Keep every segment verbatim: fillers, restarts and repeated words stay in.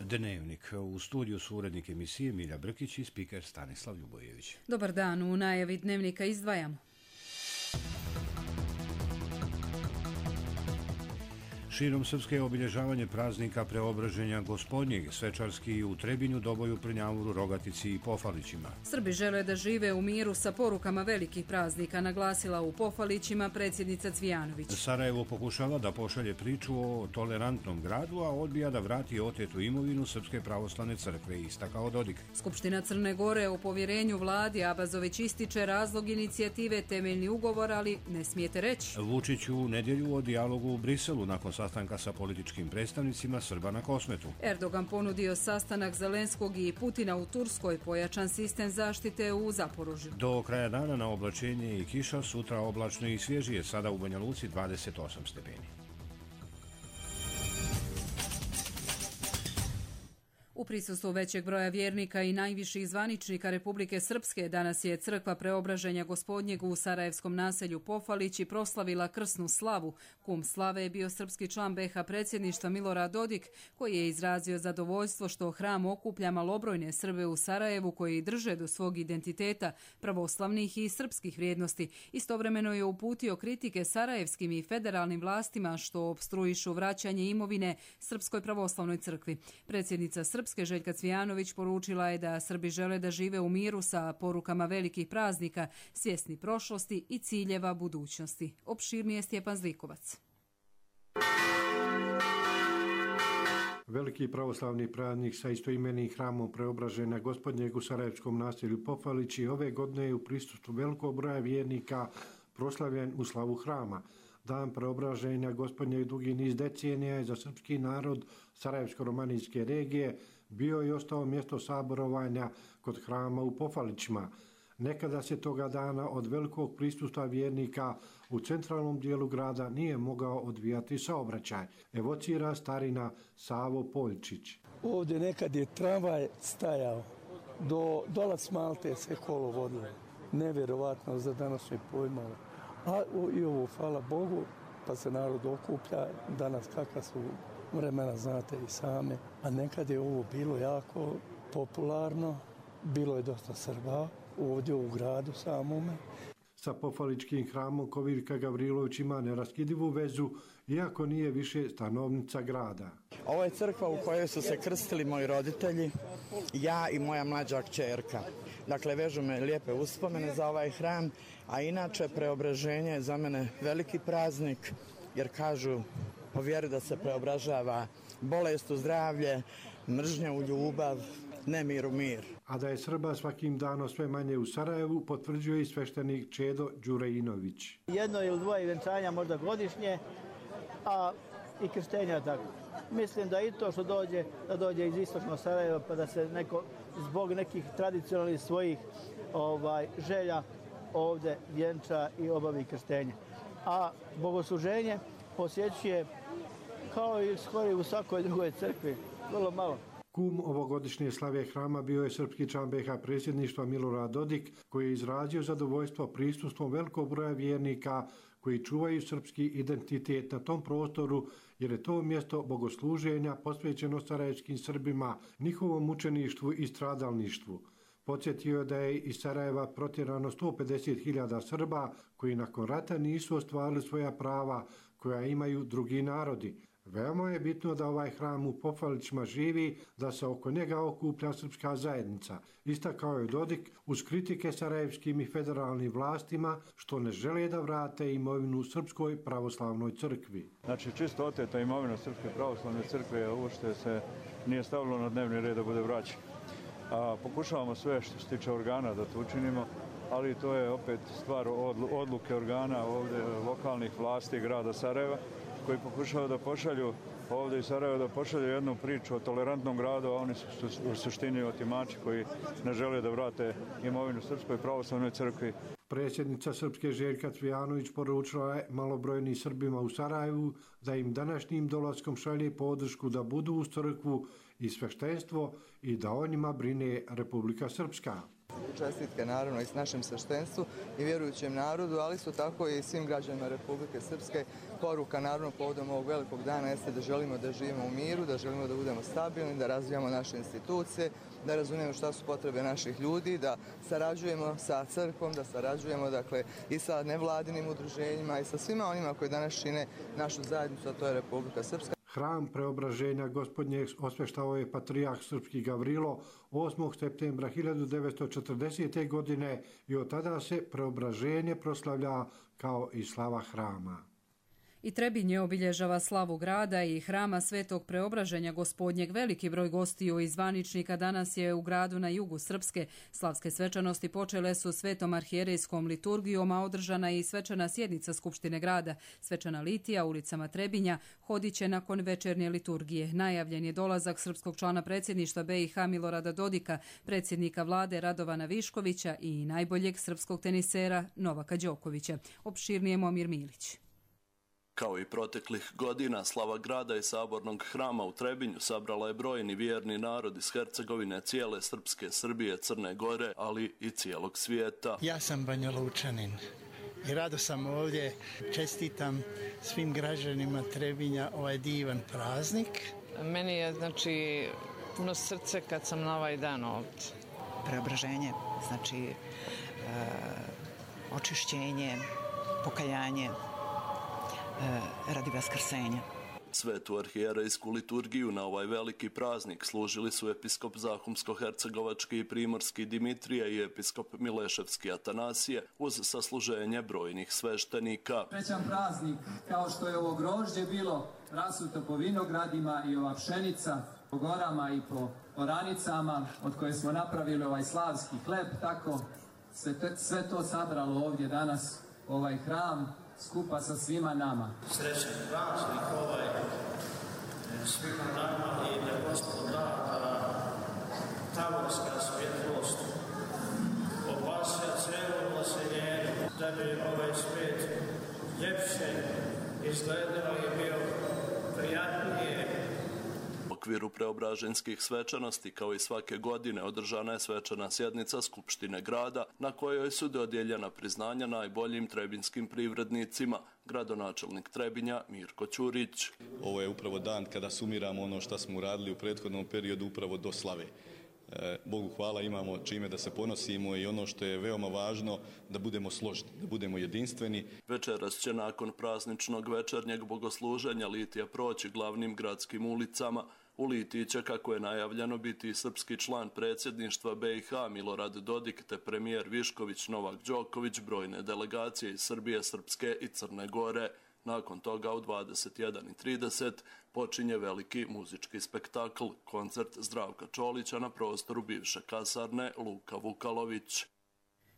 Dnevnik. U studiju su urednik emisije Milja Brkić i spiker Stanislav Ljubojević. Dobar dan, u najavi Dnevnika izdvajamo. Širom Srpske obilježavanje praznika Preobraženja Gospodnjeg, svečarski u Trebinju, Doboju, Prnjavuru, Rogatici i Pofalićima. Srbi žele da žive u miru sa porukama velikih praznika, naglasila u Pofalićima predsjednica Cvijanović. Sarajevo pokušava da pošalje priču o tolerantnom gradu, a odbija da vrati otetu imovinu Srpske pravoslavne crkve, istakao Dodik. Skupština Crne Gore o povjerenju vladi Abazović ističe razlog inicijative temeljni ugovor, ali ne smijete reći. Vučić u nedjelju o dijalogu u Briselu nakon sastanka sa političkim predstavnicima Srba na Kosmetu. Erdogan ponudio sastanak Zelenskog i Putina u Turskoj, pojačan sistem zaštite u Zaporožju. Do kraja dana na oblačenje i kiša, sutra oblačno i svježije, sada u Banja Luci dvadeset osam stepeni. U prisustvu većeg broja vjernika i najviših zvaničnika Republike Srpske danas je crkva Preobraženja Gospodnjeg u sarajevskom naselju Pofalići proslavila krsnu slavu. Kum slave je bio srpski član be ha predsjedništva Milorad Dodik, koji je izrazio zadovoljstvo što hram okuplja malobrojne Srbe u Sarajevu koji drže do svog identiteta, pravoslavnih i srpskih vrijednosti. Istovremeno je uputio kritike sarajevskim i federalnim vlastima što opstruišu vraćanje imovine Srpskoj pravoslavnoj crkvi. Predsjednica Srpske Željka Cvijanović poručila je da Srbi žele da žive u miru sa porukama velikih praznika, svjesni prošlosti i ciljeva budućnosti. Opširnije Stjepan Zlikovac. Veliki pravoslavni praznik sa istoimenim hramom Preobraženja Gospodnjeg u sarajevskom naselju Pofalići ove godine je u prisustvu velikog broja vjernika proslavljen u slavu hrama. Dan Preobraženja Gospodnjeg dugi niz decenija je za srpski narod Sarajevsko-romanijske regije bio i ostao mjesto saborovanja kod hrama u Pofalićima. Nekada se toga dana od velikog prisustva vjernika u centralnom dijelu grada nije mogao odvijati saobraćaj, evocira starina Savo Poljčić. Ovdje nekad je tramvaj stajao, do dolac Malte se kolo vodilo. Nevjerovatno za današnje pojmove. A i ovo, hvala Bogu, pa se narod okuplja, danas kakva su vremena, znate i same. A nekad je ovo bilo jako popularno, bilo je dosta Srba ovdje u gradu samome. Sa Pofaličkim hramom Kovirka Gavrilović ima neraskidivu vezu, iako nije više stanovnica grada. Ovo je crkva u kojoj su se krstili moji roditelji, ja i moja mlađa kćerka. Dakle, vežu me lijepe uspomene za ovaj hram, a inače Preobraženje je za mene veliki praznik, jer kažu po vjeri da se preobražava bolest u zdravlje, mržnja u ljubav, nemir u mir. A da je Srba svakim danom sve manje u Sarajevu, potvrđuje i sveštenik Čedo Đurejinović. Jedno ili dvoje venčanja možda godišnje, a i krštenja tako. Mislim da i to što dođe, da dođe iz istočnog Sarajeva, pa da se neko zbog nekih tradicionalnih svojih ovaj, želja ovdje vjenča i obavi krštenje. A bogosluženje posjećuje kao i skoro u svakoj drugoj crkvi, vrlo malo. Kum ovogodišnje slave hrama bio je srpski član be ha predsjedništva Milorad Dodik, koji je izrazio zadovoljstvo prisustvom velikog broja vjernika koji čuvaju srpski identitet na tom prostoru, jer je to mjesto bogosluženja posvećeno sarajevskim Srbima, njihovom mučeništvu i stradalništvu. Podsjetio je da je iz Sarajeva protjerano sto pedeset hiljada Srba koji nakon rata nisu ostvarili svoja prava koja imaju drugi narodi. Veoma je bitno da ovaj hram u Pofalićima živi, da se oko njega okuplja srpska zajednica. Istakao je Dodik uz kritike sarajevskim i federalnim vlastima što ne žele da vrate imovinu Srpskoj pravoslavnoj crkvi. Znači čisto oteta imovina Srpske pravoslavne crkve, ovo što se nije stavilo na dnevni red da bude vraćeno. A pokušavamo sve što se tiče organa da to učinimo, ali to je opet stvar odluke organa ovdje lokalnih vlasti grada Sarajeva, koji pokušavaju da pošalju ovdje iz Sarajeva, da pošalju jednu priču o tolerantnom gradu, a oni su u suštini otimači koji ne žele da vrate imovinu Srpskoj pravoslavnoj crkvi. Predsjednica Srpske Željka Cvijanović poručila je malobrojnim Srbima u Sarajevu da im današnjim dolaskom šalje podršku da budu uz crkvu i sveštenstvo i da o njima brine Republika Srpska. čestitke naravno i s našem sveštenstvu i vjerujućem narodu, ali isto tako i svim građanima Republike Srpske. Poruka naravno povodom ovog velikog dana jeste da želimo da živimo u miru, da želimo da budemo stabilni, da razvijamo naše institucije, da razumijemo šta su potrebe naših ljudi, da sarađujemo sa crkvom, da sarađujemo dakle i sa nevladinim udruženjima i sa svima onima koji danas čine našu zajednicu, a to je Republika Srpska. Hram Preobraženja Gospodnjeg osveštao je patrijarh srpski Gavrilo osmog septembra hiljadu devetsto četrdesete. godine i od tada se preobraženje proslavlja kao i slava hrama. I Trebinje obilježava slavu grada i hrama Svetog Preobraženja Gospodnjeg. Veliki broj gostiju i zvaničnika danas je u gradu na jugu Srpske. Slavske svečanosti počele su Svetom arhijerejskom liturgijom, a održana je i svečana sjednica Skupštine grada. Svečana litija ulicama Trebinja hodit će nakon večernje liturgije. Najavljen je dolazak srpskog člana predsjedništva B i H Milorada Dodika, predsjednika vlade Radovana Viškovića i najboljeg srpskog tenisera Novaka Đokovića. Opširnije Momir Milić. Kao i proteklih godina, slava grada i sabornog hrama u Trebinju sabrala je brojni vjerni narod iz Hercegovine, cijele Srpske, Srbije, Crne Gore, ali i cijelog svijeta. Ja sam Banja Lučanin i rado sam ovdje. Čestitam svim građanima Trebinja ovaj divan praznik. Meni je znači puno srce kad sam na ovaj dan ovdje. Preobraženje, znači e, očišćenje, pokajanje, radi vaskrsenja. Svetu arhijerejsku liturgiju na ovaj veliki praznik služili su episkop Zahumsko-hercegovački i primorski Dimitrije i episkop Mileševski Atanasije uz sasluženje brojnih sveštenika. Srećan praznik, kao što je ovo grožđe bilo rasuto po vinogradima i ova pšenica po gorama i po oranicama od koje smo napravili ovaj slavski hleb, tako se te, sve to sabralo ovdje danas ovaj hram skupa sa svima nama. Srećan praznik ovaj svima nama i da Gospod da da tavorska svjetlost opasja cijelom naseljenju, da bi ovaj svijet ljepše izgledao i bio prijatnije. U okviru preobraženskih svečanosti, kao i svake godine, održana je svečana sjednica Skupštine grada, na kojoj su dodijeljena priznanja najboljim trebinskim privrednicima, gradonačelnik Trebinja Mirko Ćurić. Ovo je upravo dan kada sumiramo ono što smo uradili u prethodnom periodu upravo do slave. Bogu hvala, imamo čime da se ponosimo i ono što je veoma važno, da budemo složni, da budemo jedinstveni. Večeras će nakon prazničnog večernjeg bogosluženja litija proći glavnim gradskim ulicama. U litiji će, kako je najavljeno, biti i srpski član predsjedništva B i H Milorad Dodik te premijer Višković, Novak Đoković, brojne delegacije iz Srbije, Srpske i Crne Gore. Nakon toga u dvadeset jedan i trideset počinje veliki muzički spektakl, koncert Zdravka Čolića na prostoru bivše kasarne Luka Vukalović.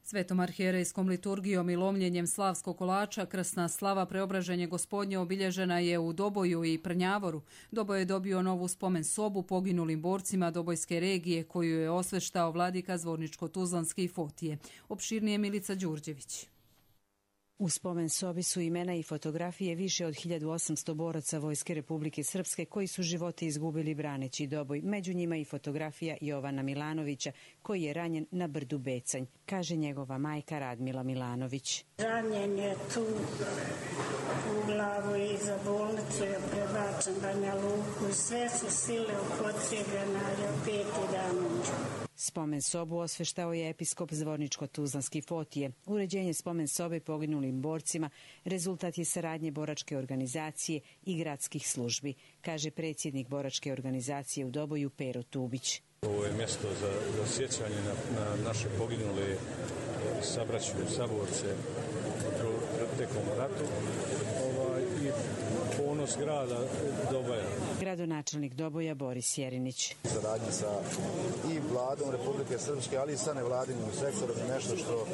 Svetom arhijerejskom liturgijom i lomljenjem slavskog kolača krsna slava Preobraženje Gospodnje obilježena je u Doboju i Prnjavoru. Doboj je dobio novu spomen sobu poginulim borcima Dobojske regije koju je osveštao vladika Zvorničko-Tuzlanski i Fotije. Opširnije Milica Đurđević. U spomen sobi su imena i fotografije više od hiljadu osamsto boraca Vojske Republike Srpske koji su živote izgubili braneći Doboj. Među njima i fotografija Jovana Milanovića koji je ranjen na brdu Becanj, kaže njegova majka Radmila Milanović. Ranjen je tu u glavu i za bolnicu je prebačen Banja Luku. Sve su sile upotrijebljene, ali opet i dan. Spomen sobu osveštao je episkop Zvorničko-Tuzlanski Fotije. Uređenje spomen sobe poginulim borcima rezultat je saradnje boračke organizacije i gradskih službi, kaže predsjednik boračke organizacije u Doboju Pero Tubić. Ovo je mjesto za, za sjećanje na, na naše poginule sabraću, saborce tekom ratu ovaj, i ponos grada Doboja. Gradonačelnik Doboja Boris Jerinić. Saradnja sa i vladom Republike Srpske, ali i sa nevladinim sektorom je nešto što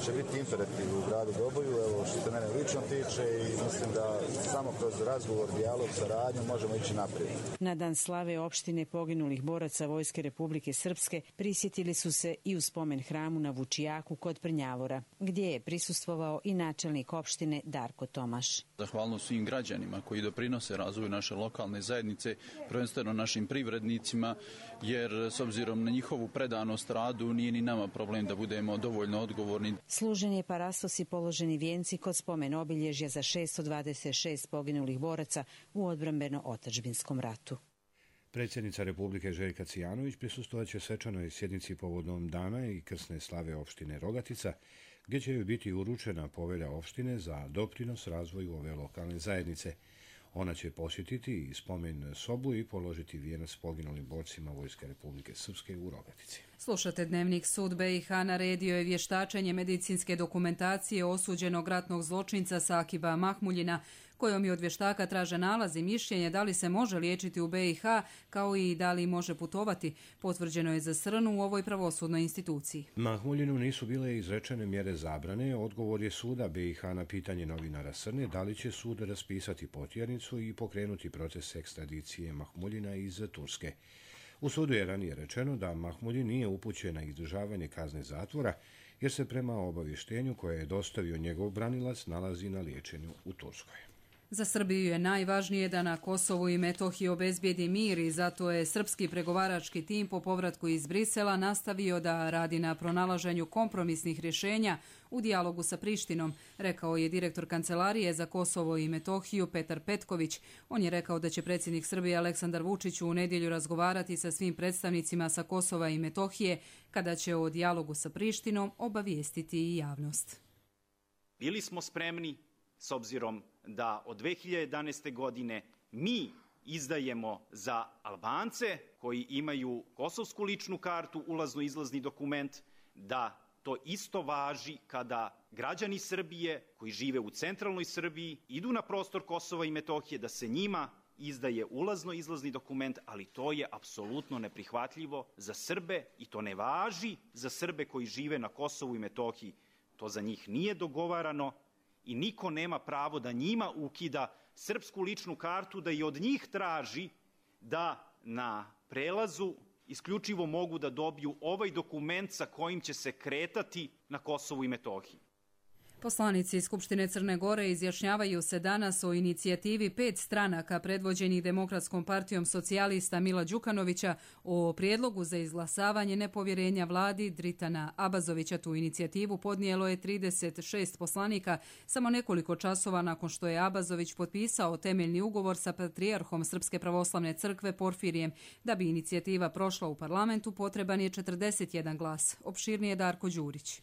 će biti imperativ u gradu Doboju, evo što se mene lično tiče i mislim da samo kroz razgovor, dijalog, saradnju možemo ići naprijed. Na dan slave opštine poginulih boraca Vojske Republike Srpske prisjetili su se i u spomen hramu na Vučijaku kod Prnjavora, gdje je prisustvovao i načelnik opštine Darko Tomaš. Zahvalno svim građanima koji koji doprinose razvoju naše lokalne zajednice, prvenstveno našim privrednicima, jer s obzirom na njihovu predanost radu nije ni nama problem da budemo dovoljno odgovorni. Služen je parastos i položeni vijenci kod spomen obilježja za šesto dvadeset šest poginulih boraca u odbrambeno-otadžbinskom ratu. Predsjednica Republike Željka Cijanović prisustvovat će svečanoj sjednici povodom dana i krsne slave opštine Rogatica, gdje će joj biti uručena povelja opštine za doprinos razvoju ove lokalne zajednice. Ona će posjetiti i spomen sobu i položiti vijenac poginulim borcima Vojske Republike Srpske u Rogatici. Slušate Dnevnik. Sud B i H naredio je vještačenje medicinske dokumentacije osuđenog ratnog zločinca Sakiba Mahmuljina, kojom je od vještaka traže nalaz i mišljenje da li se može liječiti u B i H, kao i da li može putovati. Potvrđeno je za Srnu u ovoj pravosudnoj instituciji. Mahmuljinu nisu bile izrečene mjere zabrane. Odgovor je suda B i H na pitanje novinara Srne da li će sud raspisati potjernicu i pokrenuti proces ekstradicije Mahmuljina iz Turske. U sudu je ranije rečeno da Mahmuljin nije upućen na izdržavanje kazne zatvora, jer se prema obavještenju koje je dostavio njegov branilac nalazi na liječenju u Turskoj. Za Srbiju je najvažnije da na Kosovu i Metohiji obezbijedi mir i zato je srpski pregovarački tim po povratku iz Brisela nastavio da radi na pronalaženju kompromisnih rješenja u dijalogu sa Prištinom, rekao je direktor Kancelarije za Kosovo i Metohiju Petar Petković. On je rekao da će predsjednik Srbije Aleksandar Vučić u nedjelju razgovarati sa svim predstavnicima sa Kosova i Metohije, kada će o dijalogu sa Prištinom obavijestiti i javnost. Bili smo spremni, s obzirom da od dve hiljade jedanaeste. godine mi izdajemo za Albance koji imaju kosovsku ličnu kartu, ulazno-izlazni dokument, da to isto važi kada građani Srbije koji žive u centralnoj Srbiji idu na prostor Kosova i Metohije, da se njima izdaje ulazno-izlazni dokument, ali to je apsolutno neprihvatljivo za Srbe i to ne važi za Srbe koji žive na Kosovu i Metohiji. To za njih nije dogovarano i niko nema pravo da njima ukida srpsku ličnu kartu, da i od njih traži da na prelazu isključivo mogu da dobiju ovaj dokument sa kojim će se kretati na Kosovu i Metohiji. Poslanici Skupštine Crne Gore izjašnjavaju se danas o inicijativi pet stranaka predvođenih Demokratskom partijom socijalista Mila Đukanovića o prijedlogu za izglasavanje nepovjerenja vladi Dritana Abazovića. Tu inicijativu podnijelo je trideset šest poslanika samo nekoliko časova nakon što je Abazović potpisao temeljni ugovor sa patrijarhom Srpske pravoslavne crkve Porfirijem. Da bi inicijativa prošla u parlamentu potreban je četrdeset jedan glas. Opširnije Darko Đurić.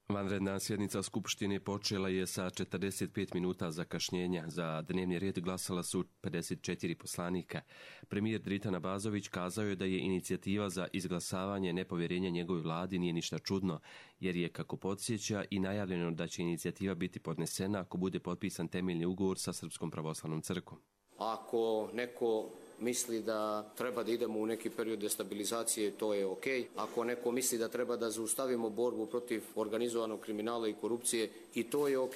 Vanredna sjednica Skupštine počela je sa četrdeset pet minuta zakašnjenja. Za dnevni red glasala su pedeset četiri poslanika. Premijer Dritan Abazović kazao je da je inicijativa za izglasavanje nepovjerenja njegovoj vladi nije ništa čudno, jer je, kako podsjeća, i najavljeno da će inicijativa biti podnesena ako bude potpisan temeljni ugovor sa Srpskom pravoslavnom crkvom. Ako neko misli da treba da idemo u neki period destabilizacije, to je ok. Ako neko misli da treba da zaustavimo borbu protiv organizovanog kriminala i korupcije, i to je ok.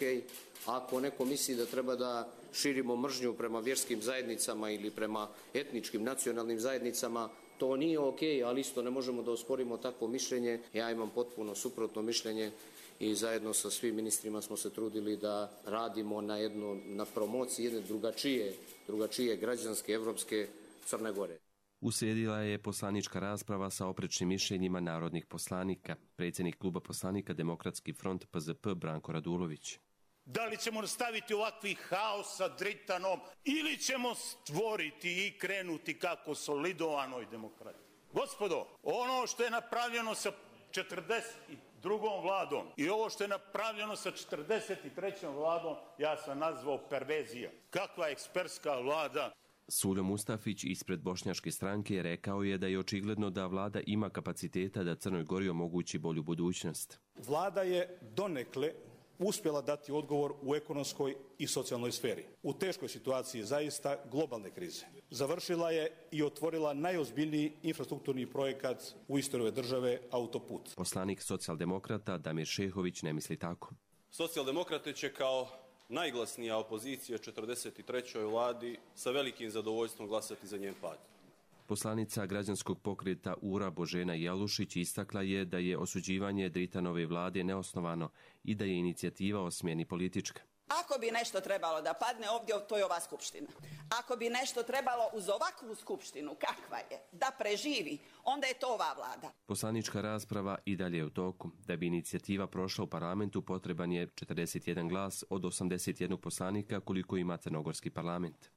Ako neko misli da treba da širimo mržnju prema vjerskim zajednicama ili prema etničkim nacionalnim zajednicama, to nije ok, ali isto ne možemo da osporimo takvo mišljenje. Ja imam potpuno suprotno mišljenje i zajedno sa svim ministrima smo se trudili da radimo na jedno, na promociji jedne drugačije, drugačije građanske, evropske Crne Gore. Uslijedila je poslanička rasprava sa oprečnim mišljenjima narodnih poslanika. Predsjednik kluba poslanika Demokratski front P Z P Branko Radulović. Da li ćemo nastaviti ovakvi haos sa Dritanom ili ćemo stvoriti i krenuti kako solidovanoj demokratiji? Gospodo, ono što je napravljeno sa četrdeset drugom vladom i ovo što je napravljeno sa četrdeset trećom vladom, ja sam nazvao perverzija. Kakva ekspertska vlada? Suljo Mustafić ispred Bošnjačke stranke rekao je da je očigledno da vlada ima kapaciteta da Crnoj Gori omogući bolju budućnost. Vlada je donekle uspjela dati odgovor u ekonomskoj i socijalnoj sferi. U teškoj situaciji zaista globalne krize. Završila je i otvorila najozbiljniji infrastrukturni projekat u istoriji države, autoput. Poslanik socijaldemokrata Damir Šehović ne misli tako. Socijaldemokrate će kao najglasnija opozicija četrdeset trećoj vladi sa velikim zadovoljstvom glasati za njen pad. Poslanica građanskog pokreta U R A Božena Jalušić istakla je da je osuđivanje Dritanove vlade neosnovano i da je inicijativa o smjeni politička. Ako bi nešto trebalo da padne ovdje, to je ova skupština. Ako bi nešto trebalo uz ovakvu skupštinu, kakva je, da preživi, onda je to ova vlada. Poslanička rasprava i dalje je u toku. Da bi inicijativa prošla u parlamentu potreban je četrdeset jedan glas od osamdeset jednog poslanika koliko ima crnogorski parlament.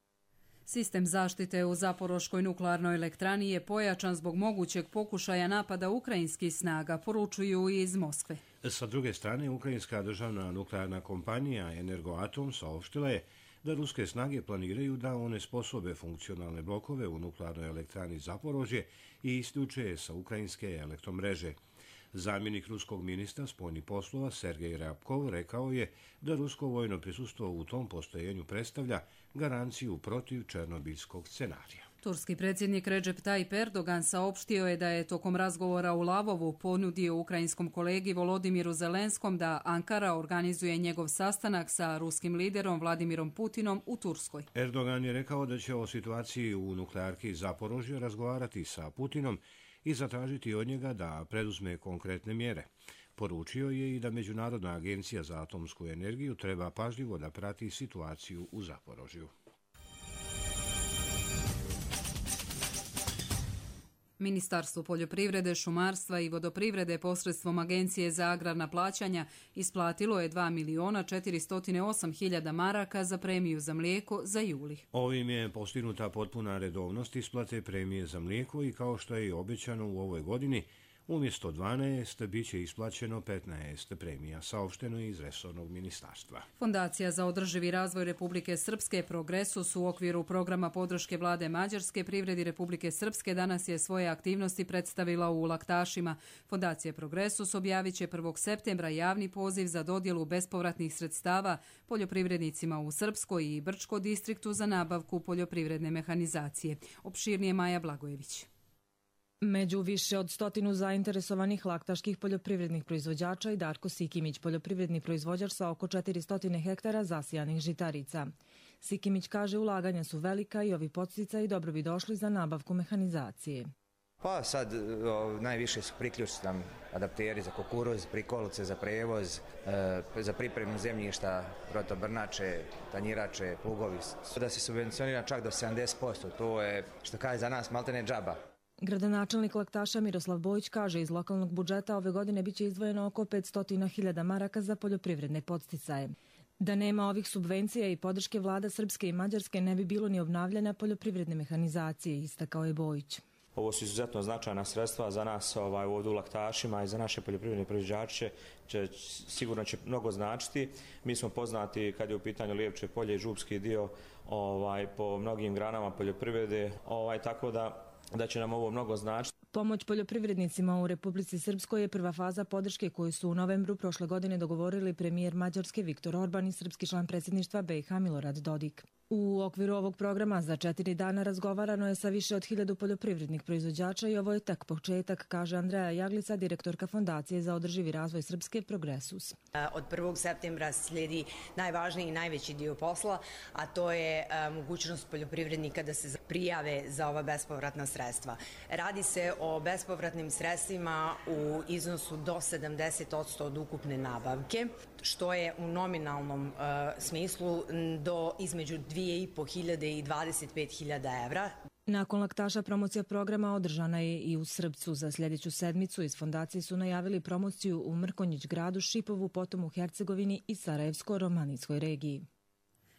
Sistem zaštite u Zaporoškoj nuklearnoj elektrani je pojačan zbog mogućeg pokušaja napada ukrajinskih snaga, poručuju iz Moskve. Sa druge strane, ukrajinska državna nuklearna kompanija Energoatom saopštila je da ruske snage planiraju da one sposobe funkcionalne blokove u nuklearnoj elektrani Zaporožje i isključe je sa ukrajinske elektromreže. Zamjenik ruskog ministra spoljnih poslova Sergej Ryabkov rekao je da rusko vojno prisustvo u tom postojenju predstavlja garanciju protiv černobilskog scenarija. Turski predsjednik Recep Tayyip Erdogan saopštio je da je tokom razgovora u Lavovu ponudio ukrajinskom kolegi Volodimiru Zelenskom da Ankara organizuje njegov sastanak sa ruskim liderom Vladimirom Putinom u Turskoj. Erdogan je rekao da će o situaciji u nuklearki Zaporožje razgovarati sa Putinom i zatražiti od njega da preduzme konkretne mjere. Poručio je i da Međunarodna agencija za atomsku energiju treba pažljivo da prati situaciju u Zaporožju. Ministarstvo poljoprivrede, šumarstva i vodoprivrede posredstvom Agencije za agrarna plaćanja isplatilo je dva miliona četiristo osam hiljada maraka za premiju za mlijeko za juli. Ovim je postignuta potpuna redovnost isplate premije za mlijeko i kao što je i obećano u ovoj godini, umjesto dvanaest bit će isplaćeno petnaest premija, saopšteno je iz resornog ministarstva. Fondacija za održivi razvoj Republike Srpske Progresus u okviru programa podrške vlade Mađarske privredi Republike Srpske danas je svoje aktivnosti predstavila u Laktašima. Fondacija Progresus objavit će prvog septembra javni poziv za dodjelu bespovratnih sredstava poljoprivrednicima u Srpskoj i Brčko distriktu za nabavku poljoprivredne mehanizacije. Opširnije Maja Blagojević. Među više od stotinu zainteresovanih laktaških poljoprivrednih proizvođača i Darko Sikimić, poljoprivredni proizvođač sa oko četiristo hektara zasijanih žitarica. Sikimić kaže ulaganja su velika i ovi podsticaji dobro bi došli za nabavku mehanizacije. Pa sad o, najviše su priključci nam adapteri za kukuruz, prikolice za prevoz, e, za pripremu zemljišta, rotobrnače, tanjirače, plugovi. Da se subvencionira čak do sedamdeset posto, to je što kaže za nas maltene džaba. Gradonačelnik Laktaša Miroslav Bojić kaže iz lokalnog budžeta ove godine biće izdvojeno oko petsto hiljada maraka za poljoprivredne podsticaje. Da nema ovih subvencija i podrške vlada Srpske i Mađarske ne bi bilo ni obnavljanja poljoprivredne mehanizacije, istakao je Bojić. Ovo su izuzetno značajna sredstva za nas ovaj, ovdje u Laktašima i za naše poljoprivredne proizvođače, će, sigurno će mnogo značiti. Mi smo poznati kad je u pitanju Lijevče polje i župski dio ovaj, po mnogim granama poljoprivrede, ovaj, tako da da će nam ovo mnogo značiti. Pomoć poljoprivrednicima u Republici Srpskoj je prva faza podrške koju su u novembru prošle godine dogovorili premijer Mađarske Viktor Orban i srpski član predsjedništva B i H Milorad Dodik. U okviru ovog programa za četiri dana razgovarano je sa više od hiljadu poljoprivrednih proizvođača i ovo je tek početak, kaže Andreja Jaglica, direktorka Fondacije za održivi razvoj Srpske Progresus. Od prvog septembra slijedi najvažniji i najveći dio posla, a to je mogućnost poljoprivrednika da se prijave za ova bespovratna sredstva. Radi se o bespovratnim sredstvima u iznosu do sedamdeset posto od ukupne nabavke, što je u nominalnom uh, smislu do između dvije i po hiljade i dvadeset pet hiljada evra. Nakon Laktaša promocija programa održana je i u Srpcu. Za sljedeću sedmicu iz fondacije su najavili promociju u Mrkonjić gradu, Šipovu, potom u Hercegovini i Sarajevsko-Romanijskoj regiji.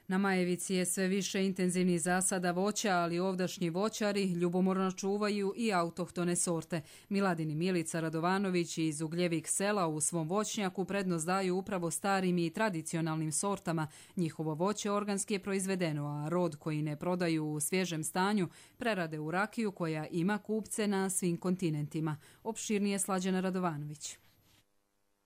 Na Majevici je sve više intenzivnih zasada voća, ali ovdašnji voćari ljubomorno čuvaju i autohtone sorte. Miladin i Milica Radovanović iz Ugljevih sela u svom voćnjaku prednost daju upravo starim i tradicionalnim sortama. Njihovo voće organski je proizvedeno, a rod koji ne prodaju u svježem stanju prerade u rakiju koja ima kupce na svim kontinentima. Opširnije Slađana Radovanović.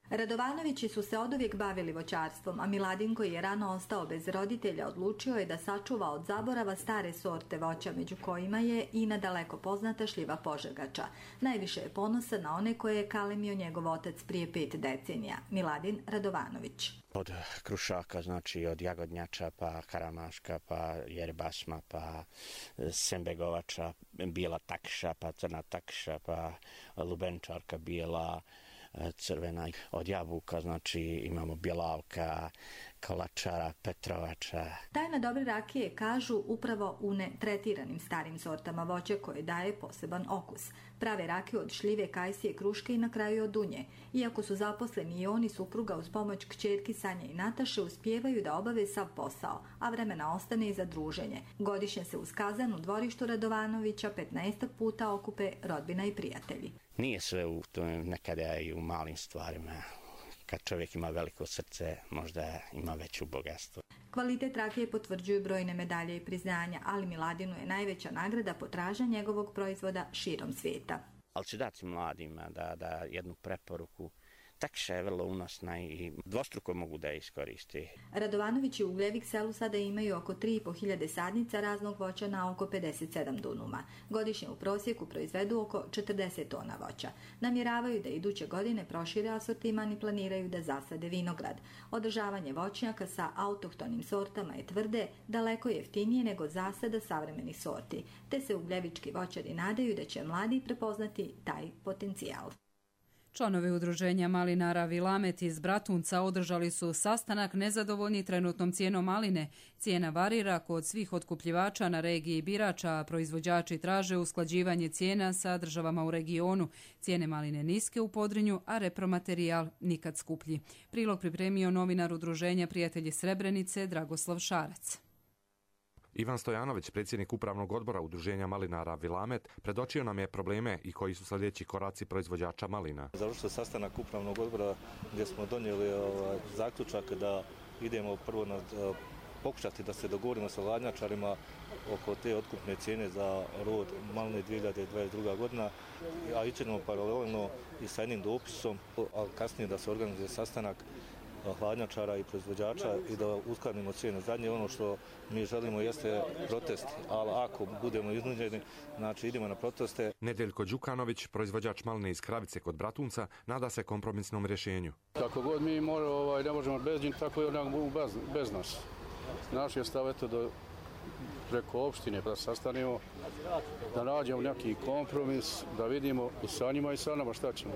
Radovanovići su se oduvijek bavili voćarstvom, a Miladin, koji je rano ostao bez roditelja, odlučio je da sačuva od zaborava stare sorte voća, među kojima je i nadaleko poznata šljiva požegača. Najviše je ponosa na one koje je kalemio njegov otac prije pet decenija. Miladin Radovanović. Od krušaka, znači od jagodnjača, pa karamaška, pa jerbasma, pa sembegovača, bijela takša, pa crna takša, pa lubenčarka bijela, crvena. Od jabuka, znači imamo bjelavka, Kolačara, Petrovača. Tajna dobre rakije kažu upravo u netretiranim starim sortama voća koje daje poseban okus. Prave rakije od šljive, kajsije, kruške i na kraju od dunje. Iako su zaposleni i oni supruga uz pomoć kćerki Sanje i Nataše uspijevaju da obave sav posao, a vremena ostane i za druženje. Godišnje se uz kazan u dvorištu Radovanovića petnaestak puta okupe rodbina i prijatelji. Nije sve u tome, nekada i u malim stvarima. Kad čovjek ima veliko srce, možda ima veću bogatstvo. Kvalitet rakije potvrđuju brojne medalje i priznanja, ali Miladinu je najveća nagrada potražnja njegovog proizvoda širom svijeta. Ali ću dati mladima da, da jednu preporuku. Takša je vrlo unosna i dvostruko mogu da je iskoristi. Radovanović i Ugljevik selu sada imaju oko tri i po hiljade sadnica raznog voća na oko pedeset sedam dunuma. Godišnje u prosjeku proizvedu oko četrdeset tona voća. Namjeravaju da iduće godine prošire asortiman i planiraju da zasade vinograd. Održavanje voćnjaka sa autohtonim sortama je tvrde daleko jeftinije nego zasada savremenih sorti, te se ugljevički voćari nadaju da će mladi prepoznati taj potencijal. Članovi udruženja malinara Vilamet iz Bratunca održali su sastanak nezadovoljni trenutnom cijenom maline. Cijena varira kod svih otkupljivača na regiji birača, a proizvođači traže usklađivanje cijena sa državama u regionu. Cijene maline niske u Podrinju, a repromaterijal nikad skuplji. Prilog pripremio novinar udruženja Prijatelji Srebrenice Dragoslav Šarac. Ivan Stojanović, predsjednik upravnog odbora udruženja malinara Vilamet, predočio nam je probleme i koji su sljedeći koraci proizvođača malina. Završio sastanak upravnog odbora gdje smo donijeli ovaj, zaključak da idemo prvo na, pokušati da se dogovorimo sa hladnjačarima oko te otkupne cijene za rod maline dvije hiljade dvadeset druga godina, a ićemo paralelno i sa jednim dopisom, a kasnije da se organizuje sastanak hladnjačara i proizvođača i da uskladimo cijene. Zadnje ono što mi želimo jeste protest, ali ako budemo iznuđeni, znači idemo na proteste. Nedeljko Đukanović, proizvođač maline iz Kravice kod Bratunca, nada se kompromisnom rješenju. Kako god mi more, ovaj, ne možemo bez njih, tako i onak bez, bez nas. Naš je stav eto do preko opštine da sastanemo, da nađemo neki kompromis, da vidimo i sa njima i sa nama šta ćemo.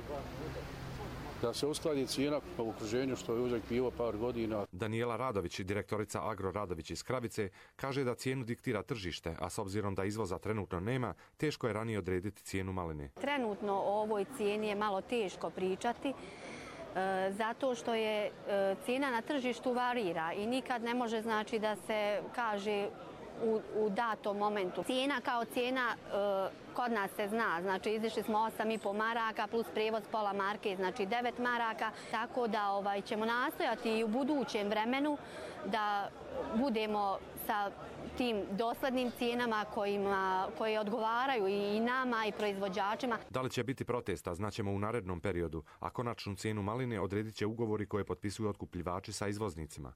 Da se uskladi cijena u okruženju što je uvijek bilo par godina. Daniela Radović, direktorica Agro Radović iz Kravice, kaže da cijenu diktira tržište, a s obzirom da izvoza trenutno nema, teško je ranije odrediti cijenu maline. Trenutno o ovoj cijeni je malo teško pričati, e, zato što je e, cijena na tržištu varira i nikad ne može znači da se kaže U, u datom momentu. Cijena kao cijena e, kod nas se zna, znači izišli smo osam i po maraka plus prijevoz pola marke, znači devet maraka, tako da ovaj, ćemo nastojati i u budućem vremenu da budemo sa tim doslednim cijenama kojima, koje odgovaraju i nama i proizvođačima. Da li će biti protesta, znaćemo u narednom periodu, a konačnu cijenu maline odredit će ugovori koje potpisuju otkupljivači sa izvoznicima.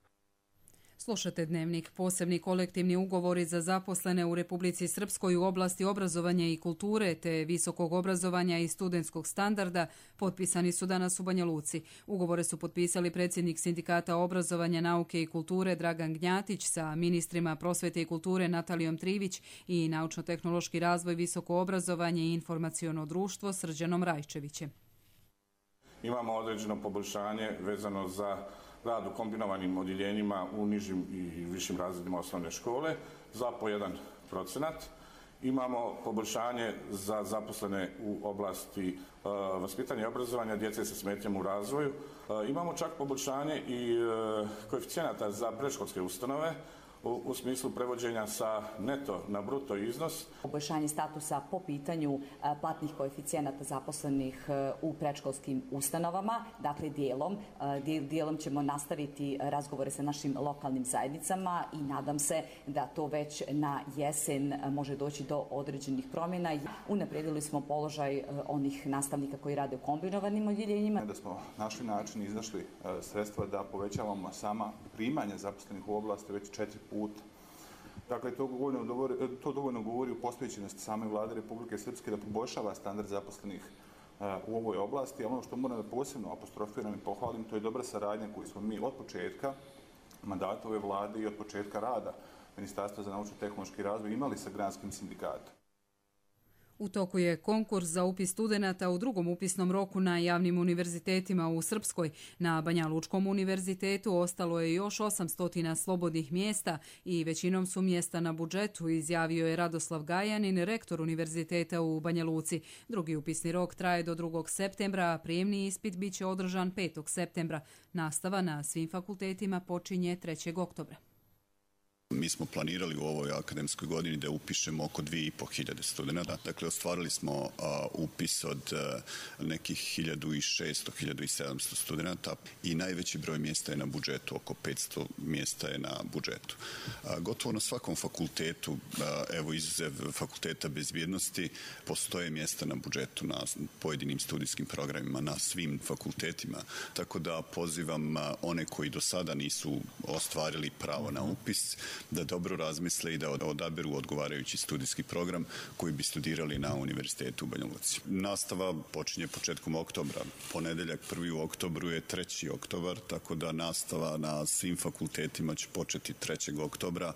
Slušate Dnevnik. Posebni kolektivni ugovori za zaposlene u Republici Srpskoj u oblasti obrazovanja i kulture te visokog obrazovanja i studentskog standarda potpisani su danas u Banja Luci. Ugovore su potpisali predsjednik Sindikata obrazovanja, nauke i kulture Dragan Gnjatić sa ministrima prosvete i kulture Natalijom Trivić i naučno-tehnološki razvoj, visoko obrazovanje i informaciono društvo Srđanom Rajčevićem. Imamo određeno poboljšanje vezano za rad u kombinovanim odjeljenjima u nižim i višim razredima osnovne škole za po jedan procenat. Imamo poboljšanje za zaposlene u oblasti uh, vaspitanja i obrazovanja djece sa smetnjama u razvoju. Uh, imamo čak poboljšanje i uh, koeficijenata za predškolske ustanove u, u smislu prevođenja sa neto na bruto iznos. Poboljšanje statusa po pitanju platnih koeficijenata zaposlenih u predškolskim ustanovama, dakle dijelom. Dijelom ćemo nastaviti razgovore sa našim lokalnim zajednicama i nadam se da to već na jesen može doći do određenih promjena. Unaprijedili smo položaj onih nastavnika koji rade u kombinovanim odjeljenjima. Da smo našli način i iznašli sredstva da povećavamo sama primanja zaposlenih u oblasti već četiri puta. Dakle, to dovoljno govori, to dovoljno govori u postojećenosti same vlade Republike Srpske da poboljšava standard zaposlenih uh, u ovoj oblasti. A ono što moram da posebno apostrofiram i pohvalim, to je dobra saradnja koju smo mi od početka mandata ove vlade i od početka rada Ministarstva za naučno-tehnološki razvoj imali sa granskim sindikatom. U toku je konkurs za upis studenata u drugom upisnom roku na javnim univerzitetima u Srpskoj. Na Banja Lučkom univerzitetu ostalo je još osamsto slobodnih mjesta i većinom su mjesta na budžetu, izjavio je Radoslav Gajanin, rektor univerziteta u Banja Luci. Drugi upisni rok traje do drugog septembra, a prijemni ispit bit će održan petog septembra. Nastava na svim fakultetima počinje trećeg oktobra. Mi smo planirali u ovoj akademskoj godini da upišemo oko dvije i po hiljade studenta. Dakle, ostvarili smo a, upis od a, nekih hiljadu šesto do hiljadu sedamsto studenta i najveći broj mjesta je na budžetu, oko petsto mjesta je na budžetu. A, gotovo na svakom fakultetu, a, evo izuzev fakulteta bezbjednosti, postoje mjesta na budžetu na pojedinim studijskim programima, na svim fakultetima. Tako da pozivam a, one koji do sada nisu ostvarili pravo na upis, da dobro razmisle i da odaberu odgovarajući studijski program koji bi studirali na Univerzitetu u Banja Luci. Nastava počinje početkom oktobra. Ponedeljak prvi u oktobru je treći oktobar, tako da nastava na svim fakultetima će početi trećeg oktobra.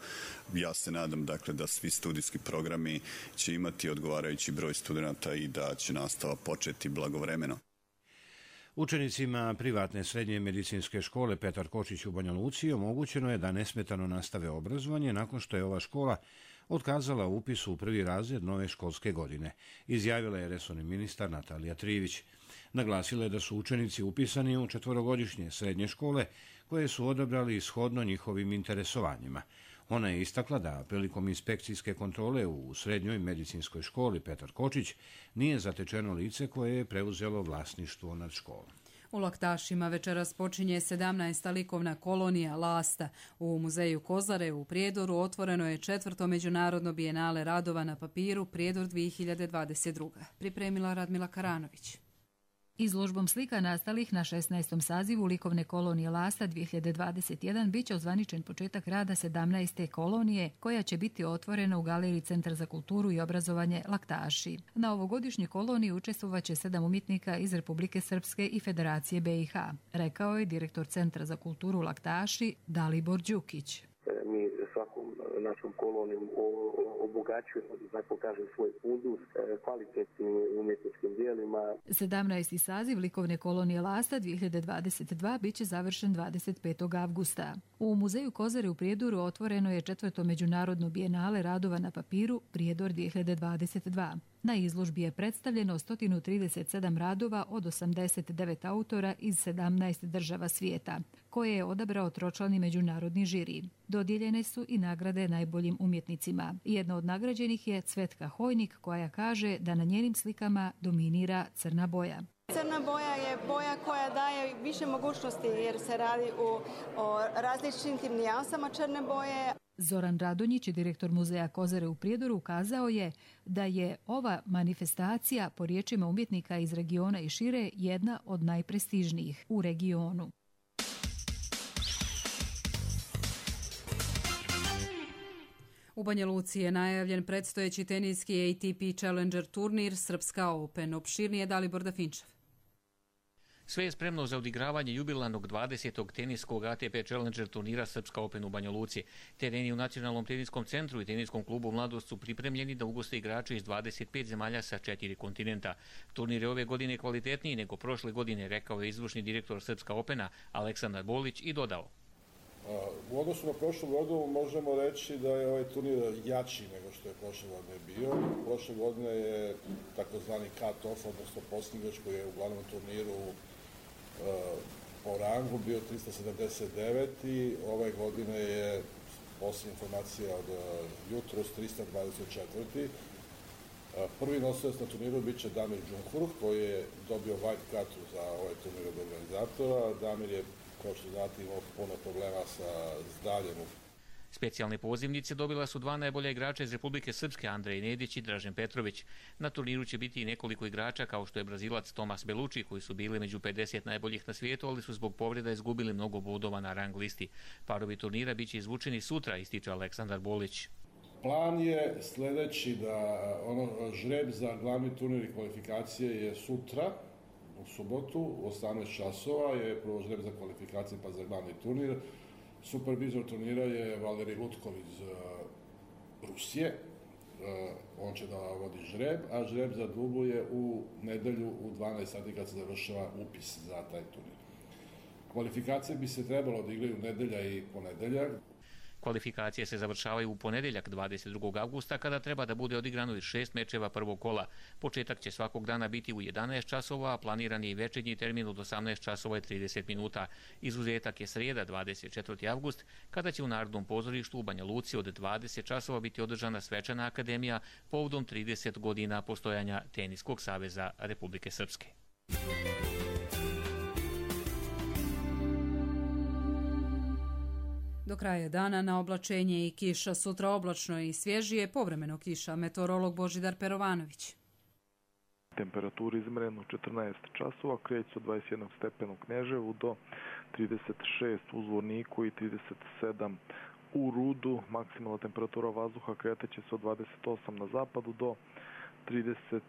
Ja se nadam dakle da svi studijski programi će imati odgovarajući broj studenata i da će nastava početi blagovremeno. Učenicima privatne srednje medicinske škole Petar Kočić u Banja Luci omogućeno je da nesmetano nastave obrazovanje nakon što je ova škola otkazala upis u prvi razred nove školske godine, izjavila je resorni ministar Natalija Trivić. Naglasila je da su učenici upisani u četvorogodišnje srednje škole koje su odabrali shodno njihovim interesovanjima. Ona je istakla da prilikom inspekcijske kontrole u srednjoj medicinskoj školi Petar Kočić nije zatečeno lice koje je preuzelo vlasništvo nad školom. U Laktašima večeras počinje sedamnaesta likovna kolonija Lasta. U muzeju Kozare u Prijedoru otvoreno je četvrto međunarodno bijenale radova na papiru Prijedor dvije hiljade dvadeset druga. Pripremila Radmila Karanović. Izložbom slika nastalih na šesnaestom sazivu likovne kolonije Lasta dvije hiljade dvadeset jedan biće ozvaničen početak rada sedamnaeste kolonije koja će biti otvorena u galeriji Centar za kulturu i obrazovanje Laktaši. Na ovogodišnjoj koloniji učestvovaće sedam umjetnika iz Republike Srpske i Federacije B i H, rekao je direktor Centra za kulturu Laktaši Dalibor Đukić. Mi svakom našom kolonijom obogaćujemo, da tako kažem, svoj fundus kvalitetnim umjetničkim dijelima. sedamnaesti saziv likovne kolonije Lasta dvije hiljade dvadeset dva biće završen dvadeset petog avgusta. U muzeju Kozare u Prijedoru otvoreno je četvrto međunarodno bijenale radova na papiru Prijedor dvije hiljade dvadeset dva. Na izložbi je predstavljeno sto trideset sedam radova od osamdeset devet autora iz sedamnaest država svijeta, koje je odabrao tročlani međunarodni žiri. Dodijeljene su i nagrade najboljim umjetnicima. Jedna od nagrađenih je Cvetka Hojnik, koja kaže da na njenim slikama dominira crna boja. Crna boja je boja koja daje više mogućnosti jer se radi o, o različitim nijansama crne boje. Zoran Radonjić, direktor muzeja Kozare u Prijedoru, ukazao je da je ova manifestacija, po riječima umjetnika iz regiona i šire, jedna od najprestižnijih u regionu. U Banja Luci je najavljen predstojeći teniski A T P Challenger turnir Srpska Open. Opširnije Dalibor Dafinčev. Sve je spremno za odigravanje jubilarnog dvadesetog teniskog A T P Challenger turnira Srpska Open u Banja Luci. Tereni u Nacionalnom teniskom centru i teniskom klubu Mladost su pripremljeni da ugoste igrače iz dvadeset pet zemalja sa četiri kontinenta. Turnir je ove godine kvalitetniji nego prošle godine, rekao je izvršni direktor Srpska Opena Aleksandar Bolić i dodao. U odnosu na prošlu godinu možemo reći da je ovaj turnir jači nego što je prošle godine bio. Prošle godine je takozvani cut-off, odnosno posljednji koji je u glavnom turniru po rangu bio trista sedamdeset devet i ove godine je posljednja informacija od jutros trista dvadeset četiri. Prvi nosilac na turniru bit će Damir Džumhurh koji je dobio white cut za ovaj turnir od organizatora. Damir je, kao što znate, imao puno problema sa zdravljem. Specijalne pozivnice dobila su dva najbolja igrača iz Republike Srpske, Andrej Nedić i Dražen Petrović. Na turniru će biti i nekoliko igrača kao što je Brazilac Tomas Belucci, koji su bili među pedeset najboljih na svijetu, ali su zbog povreda izgubili mnogo bodova na rang listi. Parovi turnira biće izvučeni sutra, ističe Aleksandar Bolić. Plan je sljedeći da ono žreb za glavni turnir i kvalifikacije je sutra, u subotu, u osamnaest časova je prvo žreb za kvalifikacije pa za glavni turnir. Supervizor turnira je Valerij Lutkov iz Rusije on će da vodi žreb, a žreb za Dublu je u nedelju u dvanaest sati kad se završava upis za taj turnir. Kvalifikacije bi se trebalo da igraju nedelja i ponedeljak. Kvalifikacije se završavaju u ponedjeljak dvadeset drugog avgusta kada treba da bude odigrano i šest mečeva prvog kola. Početak će svakog dana biti u jedanaest časova, a planiran je i večernji termin od osamnaest časova i trideset minuta. Izuzetak je srijeda dvadeset četvrti avgust kada će u Narodnom pozorištu u Banja Luci od dvadeset časova biti održana svečana akademija povodom trideset godina postojanja Teniskog saveza Republike Srpske. Do kraja dana na oblačenje i kiša, sutra oblačno i svježije, povremeno kiša. Meteorolog Božidar Perovanović. Temperaturi izmereno četrnaest časova, kreće od dvadeset jedan stepena u Kneževu do trideset šest u Zvorniku i trideset sedam u Rudu. Maksimalna temperatura vazduha kretaće se od dvadeset osam na zapadu do trideset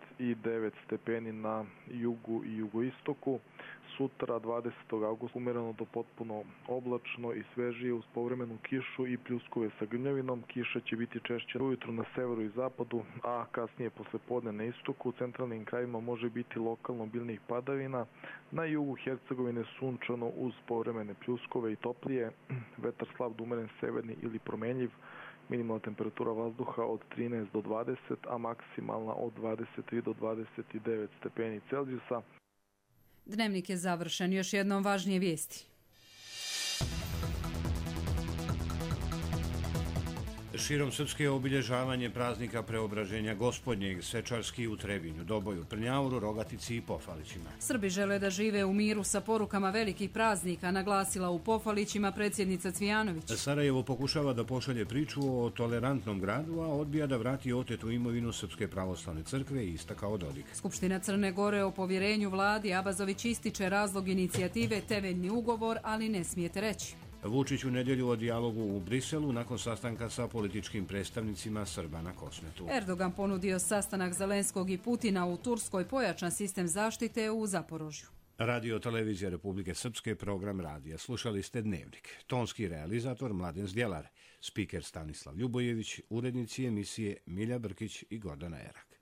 devet stepeni na jugu i jugoistoku. Sutra dvadesetog avgusta umereno do potpuno oblačno i svežije uz povremenu kišu i pljuskove sa grmljavinom. Kiša će biti češće ujutru na severu i zapadu, a kasnije posle podne na istoku. U centralnim krajima može biti lokalno obilnih padavina. Na jugu Hercegovine sunčano uz povremene pljuskove i toplije. Vetar slab do umeren severni ili promenljiv. Minimalna temperatura vazduha od trinaest do dvadeset, a maksimalna od dvadeset tri do dvadeset devet stepeni Celzijusa. Dnevnik je završen. Još jednom važnije vijesti. Širom Srpske je obilježavanje praznika Preobraženja Gospodnjeg, svečarski u Trebinju, Doboju, Prnjauru, Rogatici i Pofalićima. Srbi žele da žive u miru sa porukama velikih praznika, naglasila u Pofalićima predsjednica Cvijanović. Sarajevo pokušava da pošalje priču o tolerantnom gradu, a odbija da vrati otetu imovinu Srpske pravoslavne crkve i istakao Dodik. Skupština Crne Gore o povjerenju vladi Abazović ističe razlog inicijative temeljni ugovor, ali ne smijete reći. Vučić u nedjelju o dijalogu u Briselu nakon sastanka sa političkim predstavnicima Srba na Kosmetu. Erdogan ponudio sastanak Zelenskog i Putina u Turskoj, pojačan sistem zaštite u Zaporožju. Radio Televizija Republike Srpske, program radija. Slušali ste Dnevnik. Tonski realizator Mladen Zdjelar, spiker Stanislav Ljubojević, urednici emisije Milja Brkić i Gordana Erak.